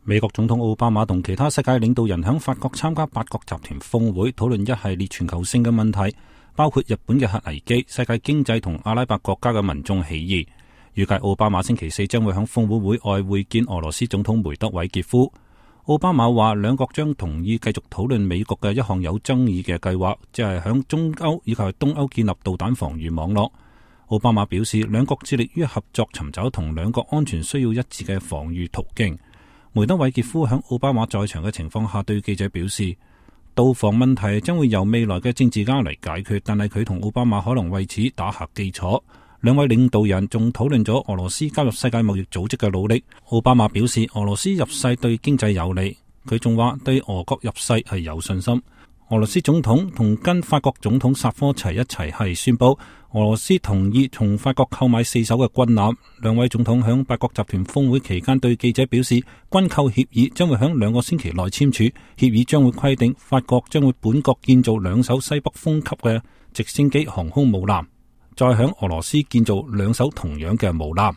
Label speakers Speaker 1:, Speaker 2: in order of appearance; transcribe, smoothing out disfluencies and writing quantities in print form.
Speaker 1: 美國總統奧巴馬同其他世界領導人喺法國參加八國集團峰會，討論一系列全球性嘅問題，包括日本嘅核危機、世界經濟同阿拉伯國家嘅民眾起義。預計奧巴馬星期四將會喺峰會會外會見俄羅斯總統梅德韋傑夫。奧巴馬話，兩國將同意繼續討論美國嘅一項有爭議嘅計劃，即係喺中歐以及東歐建立導彈防禦網絡。奧巴馬表示，兩國致力於合作，尋找同兩國安全需要一致嘅防禦途徑。梅德韋傑夫喺奧巴馬在場嘅情況下對記者表示，導防問題將會由未來嘅政治家嚟解決，但係佢同奧巴馬可能為此打下基礎。兩位領導人仲討論咗俄羅斯加入世界貿易組織嘅努力。奧巴馬表示，俄羅斯入世對經濟有利，佢仲話對俄國入世係有信心。俄羅斯總統同跟法國總統薩科齊一齊係宣布，俄羅斯同意從法國購買4艘嘅軍艦。兩位總統響八國集團峰會期間對記者表示，軍購協議將會響2個星期內簽署，協議將會規定法國將會本國建造2艘西北風級嘅直升機航空母艦，再響俄羅斯建造2艘同樣嘅母艦。